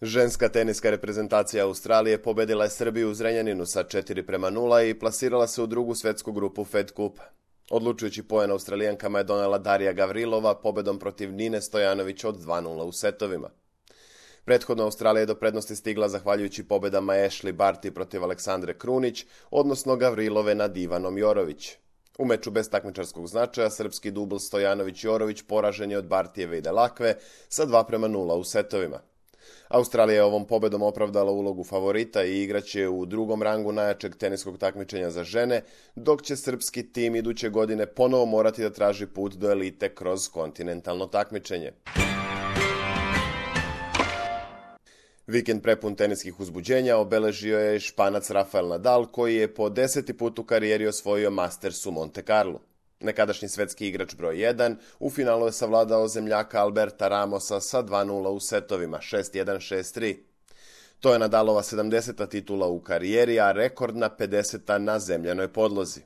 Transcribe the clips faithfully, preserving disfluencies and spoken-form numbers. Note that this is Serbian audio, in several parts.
Ženska teniska reprezentacija Australije pobedila je Srbiju u Zrenjaninu sa četiri prema nula i plasirala se u drugu svetsku grupu Fed Cup. Odlučujući poen Australijankama je donela Darija Gavrilova pobedom protiv Nine Stojanović od dva nula u setovima. Prethodno Australija je do prednosti stigla zahvaljujući pobedama Ashley Barty protiv Aleksandre Krunić, odnosno Gavrilove nad Ivanom Jorović. U meču bez takmičarskog značaja srpski dubl Stojanović-Jorović poražen je od Bartijeve i Delakve sa dva prema nula u setovima. Australija je ovom pobedom opravdala ulogu favorita i igraće u drugom rangu najjačeg teniskog takmičenja za žene, dok će srpski tim iduće godine ponovo morati da traži put do elite kroz kontinentalno takmičenje. Vikend prepun teniskih uzbuđenja obeležio je Španac Rafael Nadal, koji je po deseti put u karijeri osvojio Masters u Monte Carlo. Nekadašnji svetski igrač broj jedan u finalu je savladao zemljaka Alberta Ramosa sa dva nula u setovima, šest jedan šest tri. To je Nadalova sedamdeseta titula u karijeri, a rekordna pedeseta na zemljanoj podlozi.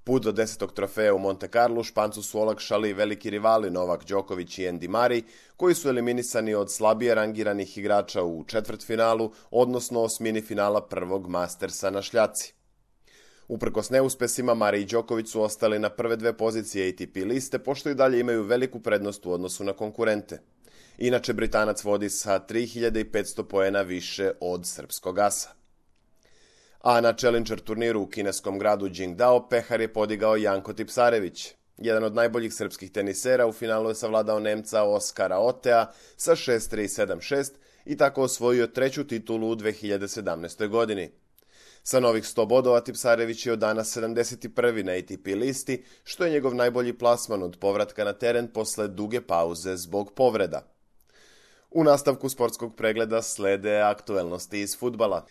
Put do desetog trofeja u Monte Carlo Špancu su olakšali veliki rivali Novak Đoković i Andy Murray, koji su eliminisani od slabije rangiranih igrača u četvrtfinalu, odnosno osmini finala prvog Mastersa na šljaci. Uprkos neuspesima, Murray i Đoković su ostali na prve dve pozicije A T P liste, pošto i dalje imaju veliku prednost u odnosu na konkurente. Inače, Britanac vodi sa tri hiljade petsto poena više od srpskog asa. A na Challenger turniru u kineskom gradu Qingdao pehar je podigao Janko Tipsarević. Jedan od najboljih srpskih tenisera u finalu je savladao Nemca Oskara Otea sa šest tri sedam šest i tako osvojio treću titulu u dve hiljade sedamnaestoj. godini. Sa novih sto bodova Tipsarević je od danas sedamdeset prvi na A T P listi, što je njegov najbolji plasman od povratka na teren posle duge pauze zbog povreda. U nastavku sportskog pregleda slede aktuelnosti iz fudbala.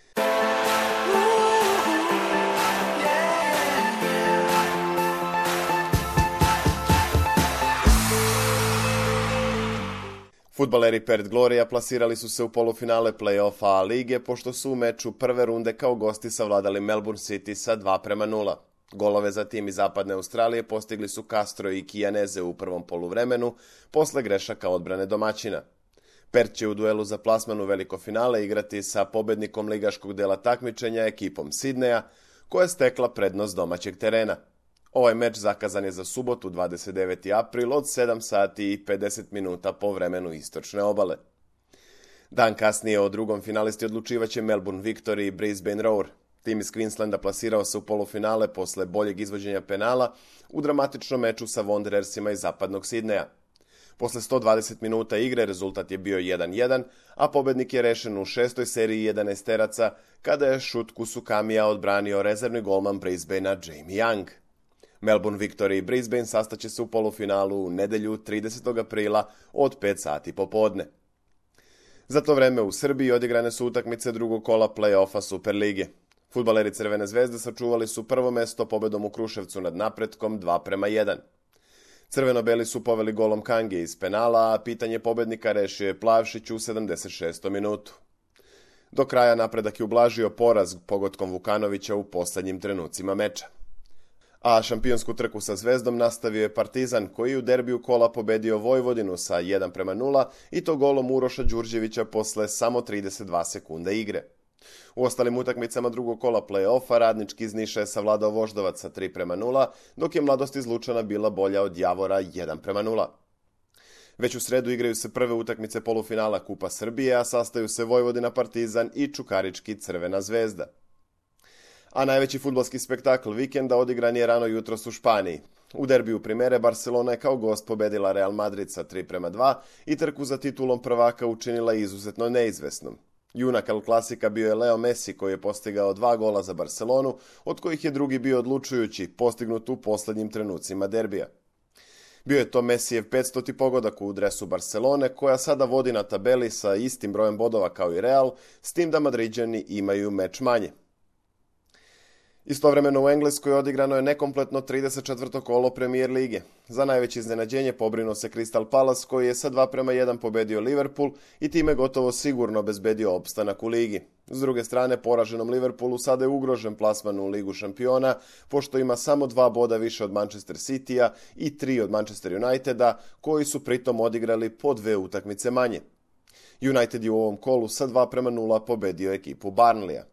Fudbaleri Perth Gloria plasirali su se u polufinale play-offa A lige, pošto su u meču prve runde kao gosti savladali Melbourne City sa dva prema nula. Golove za tim iz zapadne Australije postigli su Castro i Kijaneze u prvom poluvremenu, posle grešaka odbrane domaćina. Perth će u duelu za plasman u veliko finale igrati sa pobednikom ligaškog dela takmičenja ekipom Sidneja, koja je stekla prednost domaćeg terena. Ovaj meč zakazan je za subotu dvadeset deveti april od sedam sati i pedeset minuta po vremenu istočne obale. Dan kasnije o drugom finalisti odlučivaće Melbourne Victory i Brisbane Roar. Tim iz Queenslanda plasirao se u polufinale posle boljeg izvođenja penala u dramatičnom meču sa Wanderersima iz zapadnog Sidneja. Posle sto dvadeset minuta igre rezultat je bio jedan jedan, a pobednik je rešen u šestoj seriji jedanaesteraca kada je šut Kusukamija odbranio rezervni golman Brisbanea Jamie Young. Melbourne Victory i Brisbane sastaće se u polufinalu u nedelju tridesetog aprila od pet sati popodne. Za to vreme u Srbiji odigrane su utakmice drugog kola play-offa Superlige. Fudbaleri Crvene zvezde sačuvali su prvo mesto pobedom u Kruševcu nad Napretkom dva prema jedan. Crveno-beli su poveli golom Kange iz penala, a pitanje pobednika rešio je Plavšić u sedamdeset šestom minutu. Do kraja Napredak je ublažio poraz pogodkom Vukanovića u poslednjim trenucima meča. A šampionsku trku sa Zvezdom nastavio je Partizan, koji u derbiju kola pobedio Vojvodinu sa jedan prema nula i to golom Uroša Đurđevića posle samo trideset dva sekunde igre. U ostalim utakmicama drugog kola play-offa Radnički iz Niša je savladao Voždovac sa tri prema nula, dok je Mladost iz Lučana bila bolja od Javora jedan prema nula. Već u sredu igraju se prve utakmice polufinala Kupa Srbije, a sastaju se Vojvodina Partizan i Čukarički Crvena zvezda. A najveći fudbalski spektakl vikenda odigran je rano jutros u Španiji. U derbiju Primere Barcelona je kao gost pobedila Real Madrid sa tri prema dva i trku za titulom prvaka učinila izuzetno neizvesnom. Junak El Klasika bio je Leo Messi, koji je postigao dva gola za Barcelonu, od kojih je drugi bio odlučujući, postignut u poslednjim trenucima derbija. Bio je to Messijev petstoti pogodak u dresu Barcelone, koja sada vodi na tabeli sa istim brojem bodova kao i Real, s tim da Madriđani imaju meč manje. Istovremeno u Engleskoj odigrano je nekompletno trideset četvrto kolo Premier lige. Za najveće iznenađenje pobrinuo se Crystal Palace, koji je sa dva prema jedan pobedio Liverpool i time gotovo sigurno obezbedio opstanak u ligi. S druge strane, poraženom Liverpoolu sada je ugrožen plasman u Ligu šampiona, pošto ima samo dva boda više od Manchester Citya i tri od Manchester Uniteda, koji su pritom odigrali po dve utakmice manje. United je u ovom kolu sa dva prema nula pobedio ekipu Burnleya.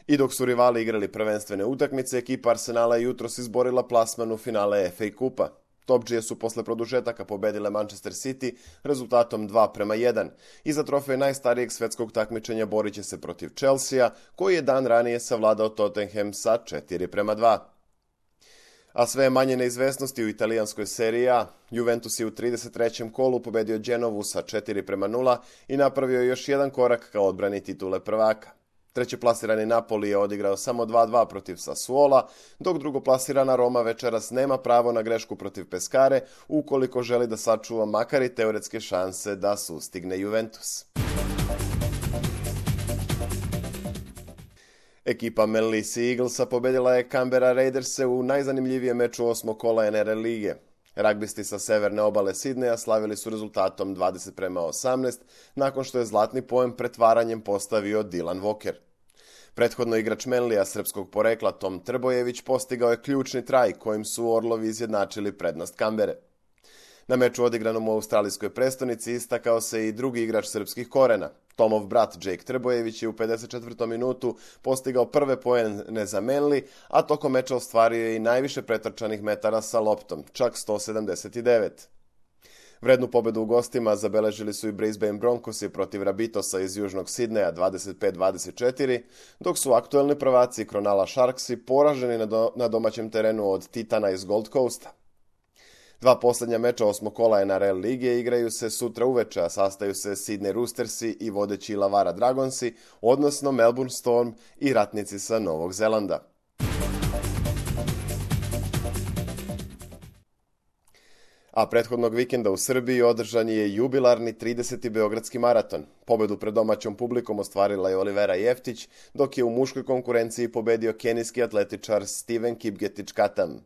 I dok su rivali igrali prvenstvene utakmice, ekipa Arsenala je jutros izborila plasman u finale F A kupa. Topdžije su posle produžetaka pobedile Manchester City rezultatom dva prema jedan i za trofej najstarijeg svetskog takmičenja borit će se protiv Chelsea, koji je dan ranije savladao Tottenham sa četiri prema dva. A sve je manje neizvesnosti u italijanskoj seriji A. Juventus je u trideset trećem kolu pobedio Genovu sa četiri prema nula i napravio još jedan korak ka odbrani titule prvaka. Trećeplasirani Napoli je odigrao samo dva dva protiv Sassuola, dok drugoplasirana Roma večeras nema pravo na grešku protiv Pescare ukoliko želi da sačuva makar i teoretske šanse da sustigne Juventus. Ekipa Manly Sea Eaglesa pobedila je Canberra Raiderse u najzanimljivijem meču osmog kola N R L lige. Ragbisti sa severne obale Sidneja slavili su rezultatom dvadeset prema osamnaest, nakon što je zlatni poen pretvaranjem postavio Dylan Walker. Prethodno igrač Manlija srpskog porekla Tom Trbojević postigao je ključni traj kojim su Orlovi izjednačili prednost Canberre. Na meču odigranom u australijskoj prestonici istakao se i drugi igrač srpskih korena. Tomov brat Jake Trbojević je u pedeset četvrtom minutu postigao prve poene za Manly, a tokom meča ostvario je i najviše pretrčanih metara sa loptom, čak sto sedamdeset devet. Vrednu pobedu u gostima zabeležili su i Brisbane Broncosi protiv Rabitosa iz južnog Sidneja dvadeset pet dvadeset četiri, dok su aktuelni prvaci Cronulla Sharksi poraženi na, do, na domaćem terenu od Titana iz Gold Coasta. Dva posljednja meča osmog kola N R L lige igraju se sutra uveče, a sastaju se Sydney Roostersi i vodeći Illawarra Dragonsi, odnosno Melbourne Storm i ratnici sa Novog Zelanda. A prethodnog vikenda u Srbiji održan je jubilarni trideseti Beogradski maraton. Pobedu pred domaćom publikom ostvarila je Olivera Jeftić, dok je u muškoj konkurenciji pobedio kenijski atletičar Steven Kipgetić-Katam.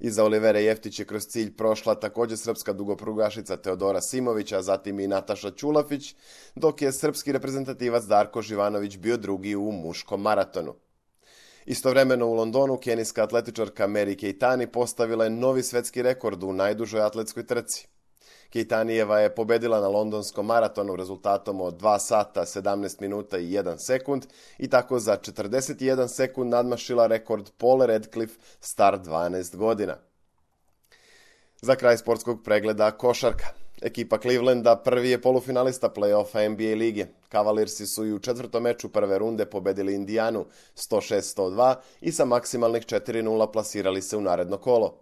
Iza Olivere Jeftić je kroz cilj prošla također srpska dugoprugašica Teodora Simović, a zatim i Nataša Ćulafić, dok je srpski reprezentativac Darko Živanović bio drugi u muškom maratonu. Istovremeno u Londonu kenijska atletičarka Mary Keitani postavila je novi svetski rekord u najdužoj atletskoj trci. Keitanijeva je pobedila na londonskom maratonu rezultatom od dva sata, sedamnaest minuta i jedan sekund i tako za četrdeset jedan sekund nadmašila rekord Paule Radcliffe star dvanaest godina. Za kraj sportskog pregleda košarka. Ekipa Clevelanda prvi je polufinalista play-offa N B A lige. Cavaliersi su i u četvrtom meču prve runde pobedili Indijanu sto šest sto dva i sa maksimalnih četiri nula plasirali se u naredno kolo.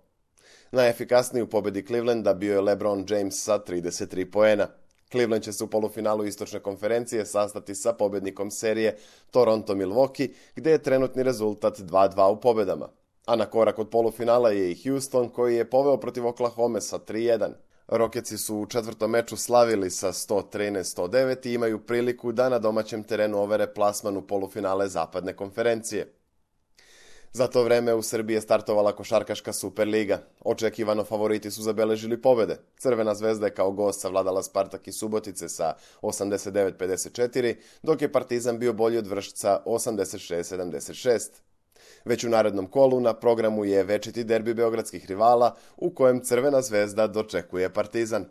Najefikasniji u pobedi Clevelanda bio je LeBron James sa trideset tri poena. Cleveland će se u polufinalu istočne konferencije sastati sa pobednikom serije Toronto-Milwaukee, gde je trenutni rezultat dva dva u pobedama. A na korak od polufinala je i Houston, koji je poveo protiv Oklahoma sa tri jedan. Rocketsi su u četvrtom meču slavili sa sto trinaest sto devet i imaju priliku da na domaćem terenu overe plasman u polufinale zapadne konferencije. Za to vreme u Srbiji je startovala košarkaška Superliga. Očekivano favoriti su zabeležili pobede. Crvena zvezda je kao gost savladala Spartak iz Subotice sa osamdeset devet pedeset četiri, dok je Partizan bio bolji od Vršca osamdeset šest sedamdeset šest. Već u narednom kolu na programu je večiti derbi beogradskih rivala u kojem Crvena zvezda dočekuje Partizan.